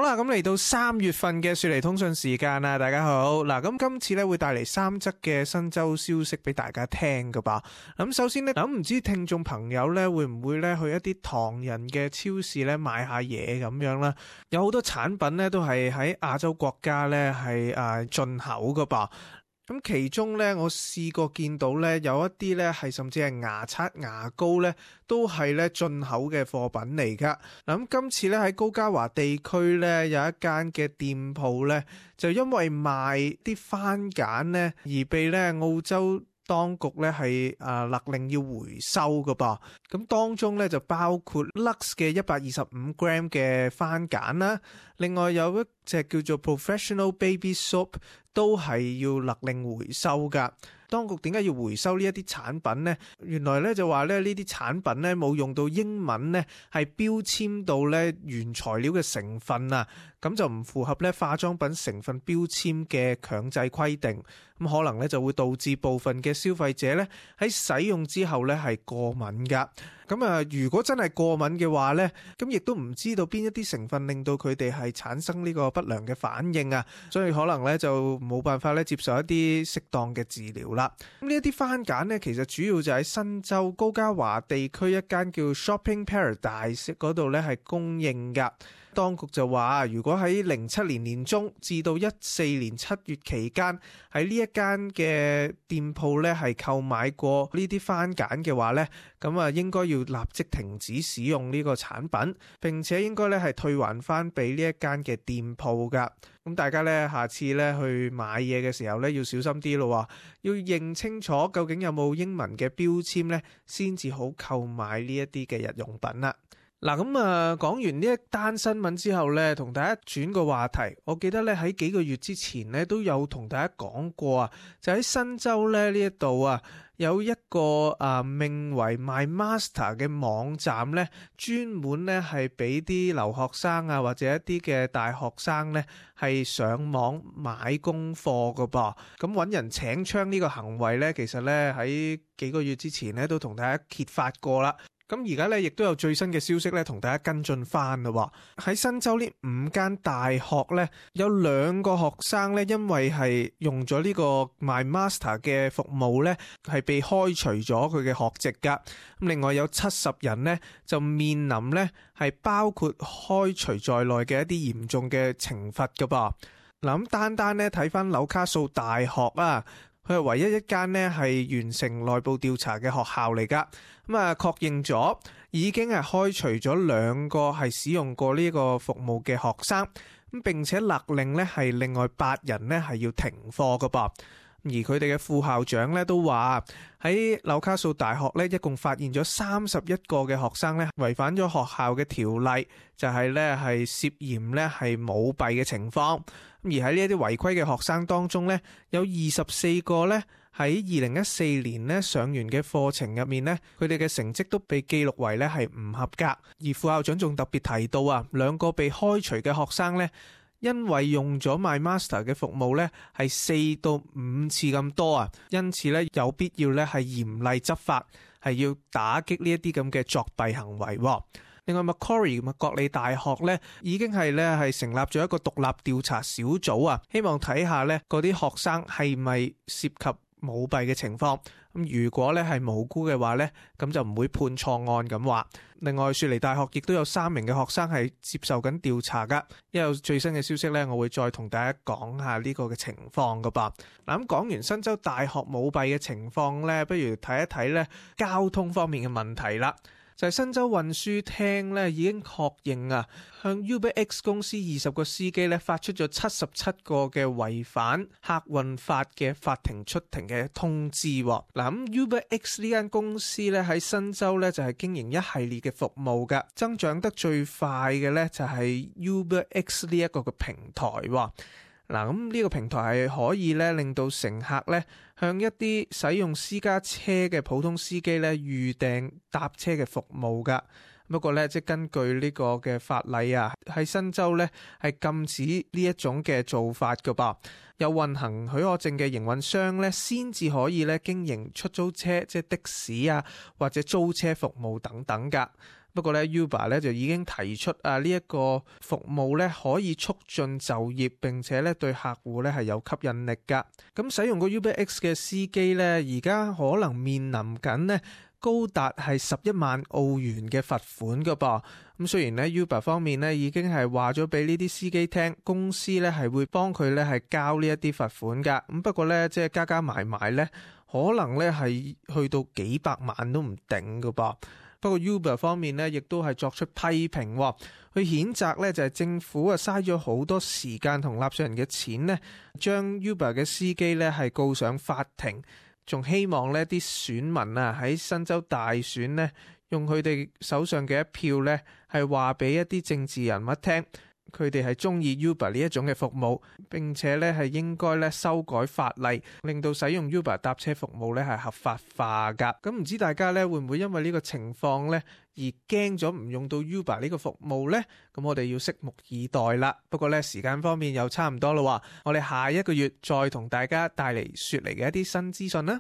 啦，咁嚟到3月份嘅雪梨通訊時間啦，大家好。嗱，咁今次咧會帶嚟3則嘅新州消息俾大家聽噶吧。咁首先咧，咁唔知聽眾朋友咧會唔會咧去一啲唐人嘅超市咧買下嘢咁樣啦？有好多產品咧都係喺亞洲國家咧係進口噶吧。咁其中咧，我試過見到咧有一啲咧係甚至係牙刷、牙膏咧都係咧進口嘅貨品嚟噶。嗱，咁今次咧喺高嘉華地區咧有一間嘅店鋪咧，就因為賣啲番梘咧而被咧澳洲當局咧係勒令要回收噶噃。咁當中咧就包括 Lux 嘅125 gram 嘅番梘啦，另外有一隻叫做 Professional Baby Soap 都係要勒令回收噶。當局點解要回收呢一啲產品呢？原來咧就話咧呢啲產品咧冇用到英文咧係標籤到咧原材料嘅成分啊，咁就唔符合咧化妝品成分標籤嘅強制規定，咁可能咧就會導致部分嘅消費者咧喺使用之後咧係過敏噶。咁如果真係過敏嘅話咧，咁亦都唔知道邊一啲成分令到佢哋係產生呢個不良嘅反應啊，所以可能咧就冇辦法咧接受一啲適當嘅治療啦。咁呢一啲番梘咧，其實主要就喺新州高嘉華地區一間叫 Shopping Paradise 嗰度咧係供應噶。當局就話，如果喺07年年中至到14年7月期間喺呢一間嘅店鋪咧係購買過呢啲番梘嘅話咧，咁應該要立即停止使用呢個產品，並且應該咧係退還翻俾呢一間嘅店鋪噶。咁大家咧下次咧去買嘢嘅時候咧要小心啲咯，要認清楚究竟有冇英文嘅標籤咧，先至好購買呢一啲嘅日用品啦。嗱，咁講完呢一單新聞之後咧，同大家轉個話題。我記得咧喺幾個月之前咧都有同大家講過啊，就喺新州咧呢一度啊，有一個名為 MyMaster 嘅網站咧，專門咧係俾啲留學生啊或者一啲嘅大學生咧係上網買功課噶噃。咁揾人請槍呢個行為咧，其實咧喺幾個月之前咧都同大家揭發過啦。咁而家咧，亦都有最新嘅消息咧，同大家跟進翻啦。喺新州呢5間大學咧，有2個學生咧，因為係用咗呢個 MyMaster 嘅服務咧，係被開除咗佢嘅學籍噶。咁另外有70人咧，就面臨咧係包括開除在內嘅一啲嚴重嘅懲罰噶噃。嗱，咁單咧睇翻紐卡素大學啊，佢係唯一一間呢係完成內部調查嘅學校嚟噶，咁確認咗已經係開除咗2個係使用過呢個服務嘅學生，咁並且勒令呢係另外8人呢係要停課噶噃。而佢哋嘅副校長咧都話喺紐卡素大學咧，一共發現咗31個嘅學生咧違反咗學校嘅條例，就係咧係涉嫌咧係舞弊嘅情況。而喺呢一啲違規嘅學生當中咧，有24個咧喺2014年咧上完嘅課程入面咧，佢哋嘅成績都被記錄為咧係唔合格。而副校長仲特別提到2個被開除嘅學生咧，因為用咗 MyMaster 嘅服務咧，係4到5次咁多啊，因此咧有必要咧係嚴厲執法，係要打擊呢一啲咁嘅作弊行為。另外 Macquarie 麥國利大學咧已經係咧係成立咗一個獨立調查小組啊，希望睇下咧嗰啲學生係咪涉及舞弊嘅情況。咁如果咧係無辜嘅話咧，咁就唔會判錯案咁話。另外雪梨大學亦都有3名嘅學生係接受緊調查噶，一有最新嘅消息咧，我會再同大家講下呢個嘅情況噶噃。嗱，咁講完新州大學舞弊嘅情況咧，不如睇一睇咧交通方面嘅問題啦。就係新州運輸廳咧已經確認向 UberX 公司20個司機咧發出咗77個嘅違反客運法嘅法庭出庭嘅通知。嗱，咁 UberX 呢間公司咧喺新州咧就係經營一系列嘅服務噶，增長得最快嘅咧就係 UberX 呢一個嘅平台。嗱，咁呢個平台係可以咧令到乘客咧向一啲使用私家車嘅普通司機咧預訂搭車嘅服務噶。不過咧，即係根據呢個嘅法例喺新州咧係禁止呢一種嘅做法噶噃。有運行許可證嘅營運商咧先至可以咧經營出租車，即係的士或者租車服務等等噶。不過咧 Uber 咧就已經提出呢一個服務咧可以促進就業，並且咧對客戶咧係有吸引力噶。咁使用過 UberX 嘅司機咧，而家可能面臨緊呢高達係11萬澳元嘅罰款噶噃。咁雖然咧 Uber 方面咧已經係話咗俾呢啲司機聽，公司咧係會幫佢咧係交呢一啲罰款噶。咁不過咧即係加埋咧，可能咧係去到幾百萬都唔定噶噃。不過 Uber 方面咧亦都係作出批評，去譴責咧就係政府嘥咗好多時間同納稅人嘅錢呢，將 Uber 嘅司機咧係告上法庭。仲希望呢啲選民喺新州大選呢，用佢哋手上嘅一票呢，係話俾一啲政治人物聽，佢哋係中意 Uber 呢一種嘅服務，並且呢係應該呢修改法例，令到使用 Uber 搭車服務呢係合法化噶。咁唔知大家呢會唔會因為呢個情況呢而驚咗唔用到 Uber 呢個服務呢？咁我哋要拭目以待啦。不過呢時間方面又差唔多啦，我哋下一個月再同大家帶嚟雪梨嘅一啲新資訊啦。